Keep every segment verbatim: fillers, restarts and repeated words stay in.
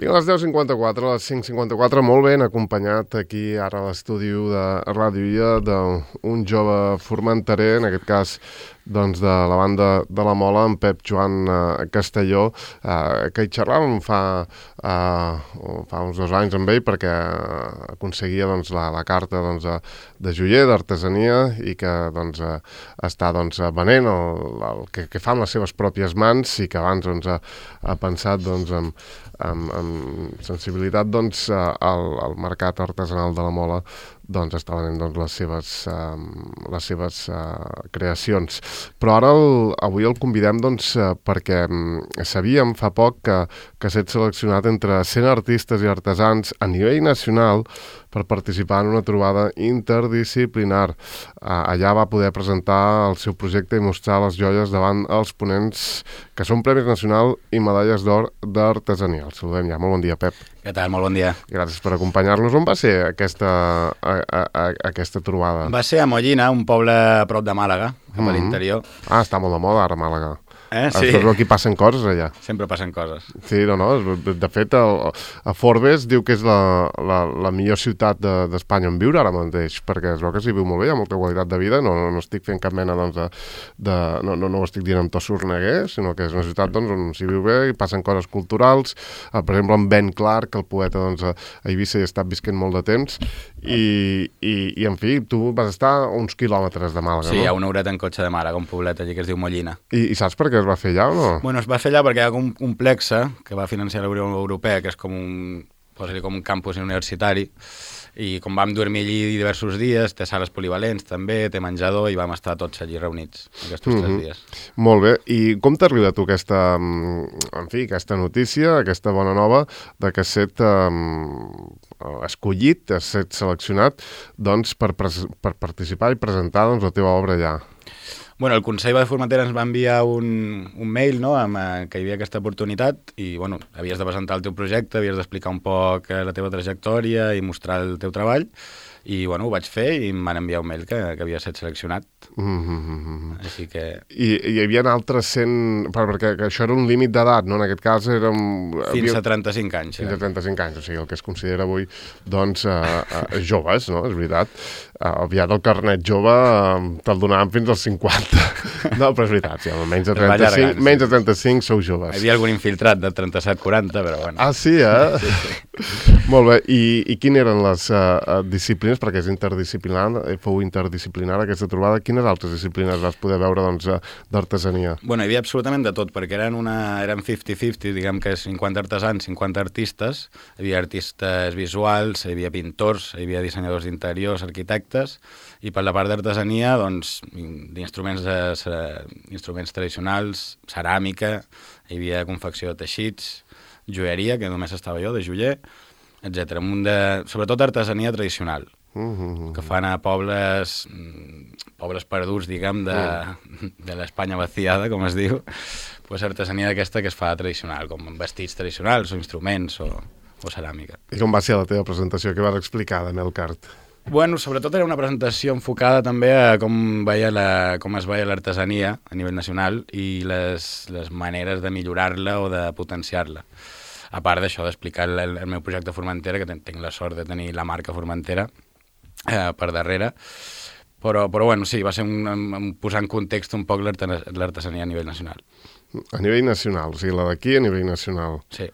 A les deu cinquanta-quatre, a les cinc cinquanta-quatre, molt ben acompanyat aquí ara a l'estudi de Ràdio Illa d'un jove formenterer, en aquest cas doncs, de la banda de la Mola, en Pep Joan eh, Castelló, eh, que hi xerràvem fa, eh, fa uns dos anys amb ell perquè aconseguia doncs, la, la carta doncs, de, de joier, d'artesania, i que doncs, eh, està doncs, venent el, el que, que fa amb les seves pròpies mans i que abans doncs, ha, ha pensat doncs, en, amb, amb sensibilitat doncs, al, al mercat artesanal de la Mola doncs està venent doncs, les seves, uh, les seves uh, creacions. Però ara el, avui el convidem doncs, uh, perquè um, sabíem fa poc que, que s'ha seleccionat entre cent artistes i artesans a nivell nacional per participar en una trobada interdisciplinar. Uh, allà va poder presentar el seu projecte i mostrar les joies davant els ponents que són Premis Nacional i medalles d'or d'artesania. El saludem ja. Molt bon dia, Pep. Què tal? Molt bon dia. Gràcies per acompanyar-nos. On va ser aquesta, a, a, a, aquesta trobada? Va ser a Mollina, un poble a prop de Màlaga, cap Mm-hmm. a l'interior. Ah, està molt de moda ara Màlaga. Eh? Sí. Però aquí passen coses allà. Sempre passen coses. Sí, no, no. De fet, el, a Forbes diu que és la, la, la millor ciutat d'Espanya de, on viure ara mateix, perquè es veu que s'hi viu molt bé, hi ha molta qualitat de vida, no, no, no estic fent cap mena doncs, de... de no, no, no ho estic dient amb to sorneguer, sinó que és una ciutat doncs, on s'hi viu bé i passen coses culturals. Eh, per exemple, en Ben Clark, el poeta doncs, a Eivissa hi ha estat visquent molt de temps, i, i, i en fi, tu vas estar a uns quilòmetres de Màlaga, sí, no? Sí, a una horeta en cotxe de Màlaga, un poblet allí que es diu Mollina. I, i saps per què es va fer allà o no? Bueno, es va fer allà perquè hi ha un complex que va financiar la Unió Europea, que és com un, posa-li com un campus universitari, i com vam dormir allí diversos dies, té sales polivalents també, té menjador, i vam estar tots allí reunits aquests mm-hmm. tres dies. Molt bé. I com t'ha arribat tu aquesta, en fi, aquesta notícia, aquesta bona nova, de que has set um, escollit, has set seleccionat doncs, per, per participar i presentar doncs, la teva obra allà? Bueno, el Consell de Formentera ens va enviar un, un mail, no?, amb, eh, que hi havia aquesta oportunitat i, bueno, havies de presentar el teu projecte, havies d'explicar un poc eh, la teva trajectòria i mostrar el teu treball. I, bueno, ho vaig fer i em van enviar un mail que, que havia estat seleccionat. Mm-hmm. Així que... I, I hi havia altres cent... Perquè que això era un límit d'edat, no? En aquest cas era... Un... Fins havia... a trenta-cinc anys. Fins a trenta-cinc anys, o sigui, el que es considera avui, doncs, uh, uh, joves, no? És veritat. Uh, aviat el carnet jove uh, te'l donaven fins als cinquanta. No, però és veritat, sí, menys de trenta-cinc, sí. Menys de trenta-cinc sou joves. Hi havia algun infiltrat de trenta-set quaranta, però bueno. Ah, sí, eh? Sí, sí. Molt bé. I, i quines eren les uh, disciplines, perquè és interdisciplinar, fou interdisciplinar aquesta trobada, quines altres disciplines vas poder veure doncs, d'artesania? Bueno, hi havia absolutament de tot, perquè eren, una, eren cinquanta cinquanta, diguem que cinquanta artesans, cinquanta artistes, hi havia artistes visuals, hi havia pintors, hi havia dissenyadors d'interiors, arquitectes, i per la part d'artesania, doncs, d'instruments de, instruments tradicionals, ceràmica, hi havia confecció de teixits, joieria, que només estava jo, de joier, etcètera. Sobretot artesania tradicional, mm-hmm. que fan a pobles, pobles perduts, diguem, de, mm. de l'Espanya vaciada, com es diu, pues artesania d'aquesta que es fa tradicional, com vestits tradicionals, o instruments, o, o ceràmica. I com va ser la teva presentació? Què vas explicar de Melcart? Bueno, sobretot era una presentació enfocada també a com, veia la, com es veia l'artesania a nivell nacional i les, les maneres de millorar-la o de potenciar-la. A part d'això, d'explicar el, el meu projecte Formentera, que ten, tinc la sort de tenir la marca Formentera eh, per darrere, però, però bueno, sí, va ser un, un, posar en context un poc l'artesania a nivell nacional. A nivell nacional, o sigui, la d'aquí a nivell nacional. Sí.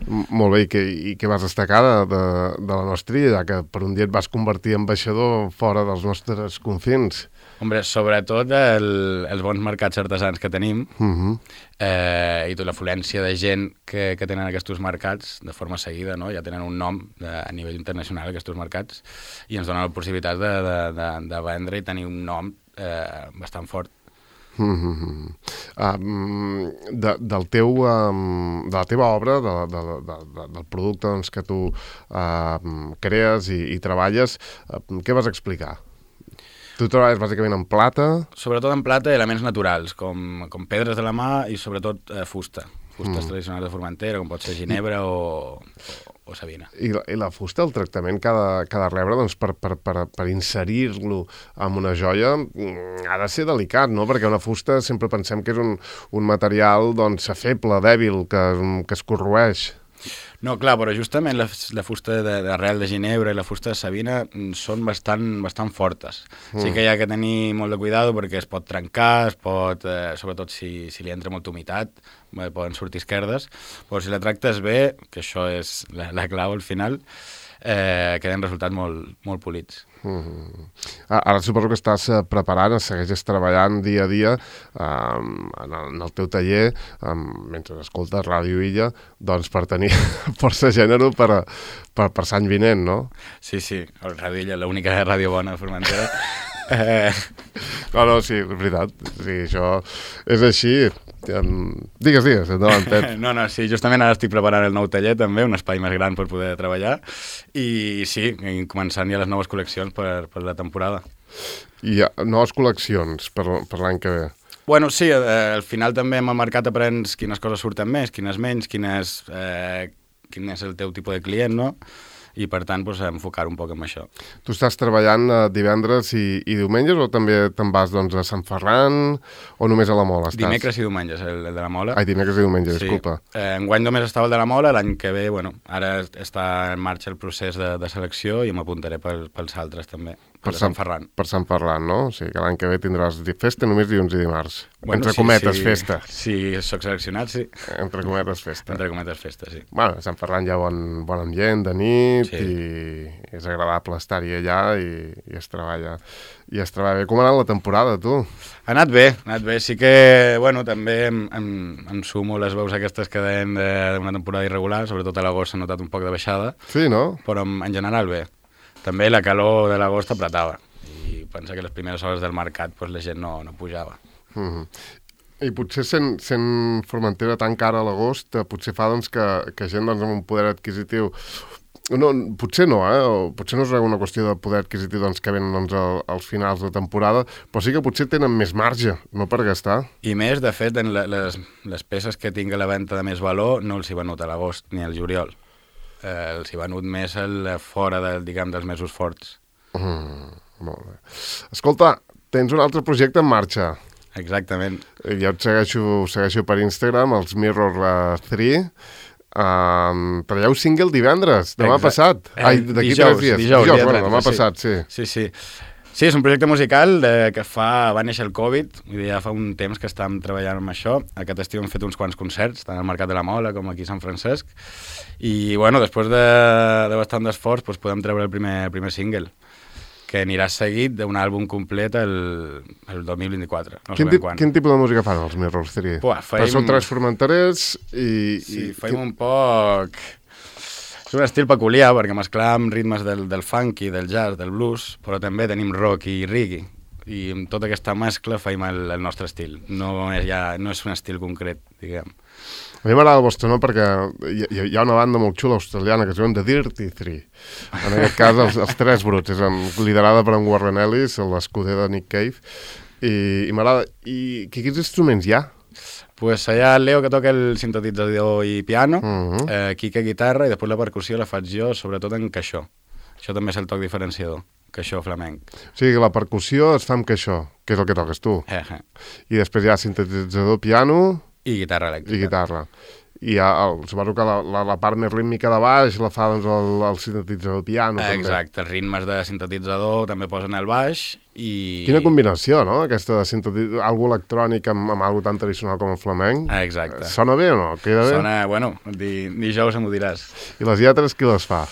M molt bé, i què, i què vas destacar de, de, de la nostra illa, ja que per un dia et vas convertir en ambaixador fora dels nostres confins? Hombre, sobretot el, els bons mercats artesans que tenim, uh-huh. eh, i tota l'afluència de gent que, que tenen aquests mercats de forma seguida, no? Ja tenen un nom de, a nivell internacional, aquests mercats, i ens donen la possibilitat de, de, de, de vendre i tenir un nom eh, bastant fort. Mm-hmm. um, de, del teu, um, de la teva obra, de, de, de, de, del producte doncs, que tu uh, crees i, i treballes, uh, què vas explicar? Tu treballes bàsicament en plata? Sobretot en plata i elements naturals, com, com pedres de la mà i sobretot eh, fusta. Fustes mm. tradicionals de Formentera, com pot ser ginebra o, o, o sabina. I la, I la fusta, el tractament que ha de, que ha de rebre doncs, per, per, per, per inserir-lo en una joia ha de ser delicat, no? Perquè una fusta sempre pensem que és un, un material doncs, feble, dèbil, que, que es corroeix. No, clar, però justament la, la fusta d'arrel de, de ginebra i la fusta de sabina són bastant, bastant fortes. Mm. Sí que hi ha que tenir molt de cuidado perquè es pot trencar, es pot, eh, sobretot si, si li entra molta humitat, eh, poden sortir esquerdes, però si la tractes bé, que això és la, la clau al final, eh, queden resultats molt, molt polits. Mm-hmm. Ara suposo que estàs preparant, segueixes treballant dia a dia um, en, el, en el teu taller, um, mentre escoltes Ràdio Illa, doncs per tenir força gènere per, per, per Sant vinent, no? Sí, sí, el Ràdio Illa, l'única ràdio bona de Formentera. eh... No, no, sí, és veritat, sí, això és així. Um, digues, digues, endavant, Pep. No, no, sí, justament ara estic preparant el nou taller també, un espai més gran per poder treballar, i sí, començant ja les noves col·leccions per, per la temporada. I ha noves col·leccions per, per l'any que ve? Bueno, sí, eh, al final també amb el mercat aprens quines coses surten més, quines menys, quines, eh, quin és el teu tipus de client, no? I per tant pues, enfocar un poc en això. Tu estàs treballant eh, divendres i, i diumenges o també te'n vas doncs, a Sant Ferran o només a la Mola estàs? Dimecres i diumenges, el, el de la Mola. Ai, dimecres i diumenges, sí. Disculpa. Eh, enguany només estava el de la Mola, l'any que ve, bueno, ara està en marxa el procés de, de selecció i m'apuntaré pel, pels altres també, per Sant Ferran. Per Sant Ferran, no? O sigui que l'any que ve tindràs festa només dilluns i dimarts. Bueno, Entre sí, cometes, sí, festa. Sí, soc seleccionat, sí. Entre cometes, festa. Entre cometes, festa, sí. Bueno, a Sant Ferran hi ha bon, bon ambient de nit sí. i és agradable estar-hi allà i, i es treballa i es treballa bé. Com ha anat la temporada, tu? Ha anat bé, ha anat bé. Sí que, bueno, també em, em, em sumo les veus aquestes que deien d'una temporada irregular, sobretot a l'agost s'ha notat un poc de baixada. Sí, no? Però en, en general bé. També la calor de l'agost apretava i pensa que les primeres hores del mercat pues, la gent no, no pujava. Mm-hmm. I potser sent, sent Formentera tan cara a l'agost, potser fa doncs, que, que gent doncs, amb un poder adquisitiu... No, potser no, eh? O potser no és una qüestió de poder adquisitiu doncs, que venen doncs, al, als finals de temporada, però sí que potser tenen més marge, no per gastar. I més, de fet, en les, les peces que tinc a la venda de més valor no els hi venut a l'agost ni al juliol. Eh, els hi venut més el, fora de, diguem, dels mesos forts. Mm, molt bé. Escolta, tens un altre projecte en marxa. Exactament. Jo et segueixo, segueixo per Instagram, els Mirror tres. Um, traieu single divendres, demà Exacte. passat. Eh, Ai, d'aquí dijous, tres dies. Dijous, dijous dia bueno, trenta, demà sí. passat, sí. Sí, sí. Sí, és un projecte musical de, que fa, va néixer el Covid, vull dir, ja fa un temps que estàvem treballant amb això. Aquest estiu hem fet uns quants concerts, tant al Mercat de la Mola com aquí a Sant Francesc. I, bueno, després de, de bastant d'esforç, doncs podem treure el primer, el primer single, que anirà seguit d'un àlbum complet el, el dos mil vint-i-quatre. No quin, tip, quin tipus de música fan els Mirror tres? Buah, feim... Però són tres formenterers i... Sí, i... feim un poc... És un estil peculiar, perquè mesclam ritmes del, del funky, del jazz, del blues, però també tenim rock i reggae. I amb tota aquesta mescla feim el, el nostre estil. No és, ja, no és un estil concret, diguem. A mi m'agrada el vostre nom perquè hi, hi ha una banda molt xula australiana que es diuen The Dirty Three. En aquest cas, els, els Tres Bruts. És liderada per en Warren Ellis, l'escuder de Nick Cave. I, i m'agrada... I quins instruments hi ha? Pues hi ha el Leo, que toca el sintetitzador i piano, uh-huh. eh, Quique guitarra, i després la percussió la faig jo, sobretot en caixó. Això també és el toc diferenciador, caixó flamenc. O sigui que la percussió es fa amb caixó, que és el que toques tu. Eh, eh. I després hi ha sintetitzador, piano... I guitarra elèctrica. I guitarra. I ha, el, suposo que la, la, la part més rítmica de baix la fa doncs, el, el sintetitzador piano. Eh, també. exacte, els ritmes de sintetitzador també posen el baix i... Quina combinació, no? Aquesta de sintetitzador, algo electrònic amb, amb algo tan tradicional com el flamenc. Eh, exacte. Sona bé o no? Queda bé? Sona, bueno, di, dijous m'ho diràs. I les lletres qui les fa?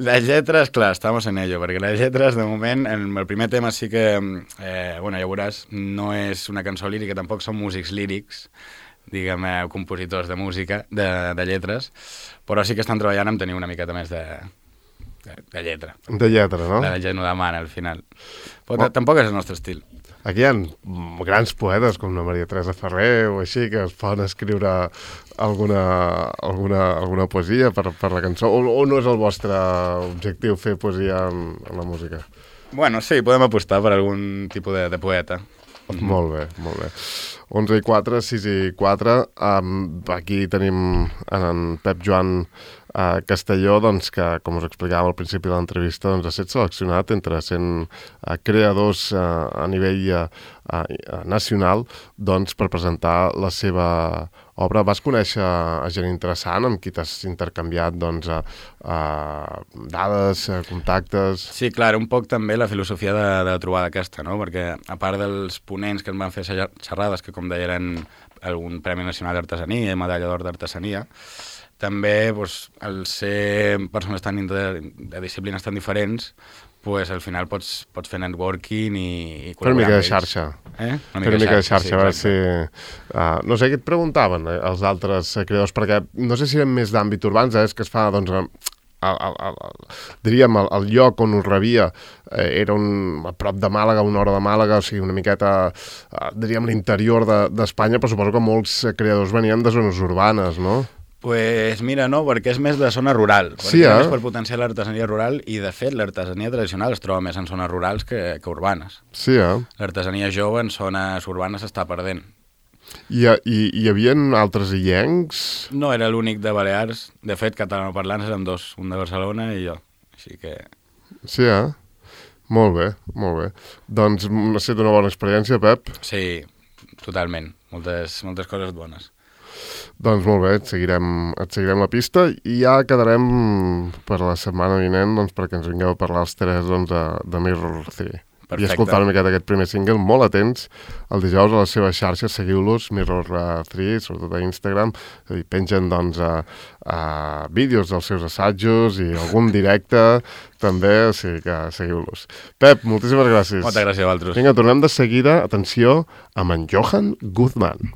Les lletres, clar, estamos en ello, perquè les lletres, de moment, en el primer tema sí que, eh, bueno, ja veuràs, no és una cançó lírica, tampoc són músics lírics, diguem, eh, compositors de música, de, de lletres, però sí que estan treballant en tenir una miqueta més de, de, de lletra. De lletra, no? La gent ho demana, al final. Però oh. tampoc és el nostre estil. Aquí hi ha grans poetes com la Maria Teresa Ferrer o així que es poden escriure alguna, alguna, alguna poesia per, per la cançó, o, o no és el vostre objectiu fer poesia en, en la música? Bueno, sí, podem apostar per algun tipus de, de poeta. Mm-hmm. Molt bé, molt bé. onze i quatre, sis i quatre. Um, aquí tenim en, en Pep Joan uh, Castelló, doncs, que, com us explicàvem al principi de l'entrevista, doncs, ha estat seleccionat entre cent uh, creadors uh, a nivell uh, uh, nacional, doncs, per presentar la seva obra. Vas conèixer a gent interessant amb qui t'has intercanviat, doncs, a, a dades, a contactes... Sí, clar, un poc també la filosofia de, de la trobada aquesta, no? Perquè a part dels ponents que ens van fer xerrades, que com deia eren algun Premi Nacional d'Artesania i Medalla d'Or d'Artesania, també doncs, al ser persones tan inter... de disciplines tan diferents, pues, al final pots, pots fer networking i, i col·laborar. Fer una mica de xarxa. Eh? Una mica, una mica de xarxa, sí, a veure si... Uh, no sé què et preguntaven eh, els altres creadors, perquè no sé si eren més d'àmbit urbans, eh, és que es fa, doncs, el, el, el, el, diríem, el, el lloc on us rebia eh, era un, a prop de Màlaga, una hora de Màlaga, o sigui, una miqueta, eh, diríem, l'interior d'Espanya, de, però suposo que molts creadors venien de zones urbanes, no? Pues mira, no, perquè és més de zona rural, perquè sí, eh? és per potenciar l'artesania rural i, de fet, l'artesania tradicional es troba més en zones rurals que, que urbanes. Sí, eh? L'artesania jove en zones urbanes s'està perdent. I, i, hi havia altres illencs? No, era l'únic de Balears. De fet, catalanoparlants érem dos, un de Barcelona i jo. Així que... Sí, eh? Molt bé, molt bé. Doncs ha estat una bona experiència, Pep. Sí, totalment. Moltes, moltes coses bones. Doncs molt bé, et seguirem, et seguirem la pista i ja quedarem per la setmana vinent, doncs, perquè ens vingueu a parlar els tres, doncs, de, de Mirror tres. Perfecte. I escoltar una miqueta aquest primer single, molt atents el dijous a les seves xarxes, seguiu-los, Mirror tres, sobretot a Instagram, i pengen, doncs, a, a vídeos dels seus assajos i algun directe també, o sigui que seguiu-los. Pep, moltíssimes gràcies. Moltes gràcies a vosaltres. Vinga, tornem de seguida, atenció, amb en Johan Guzmán.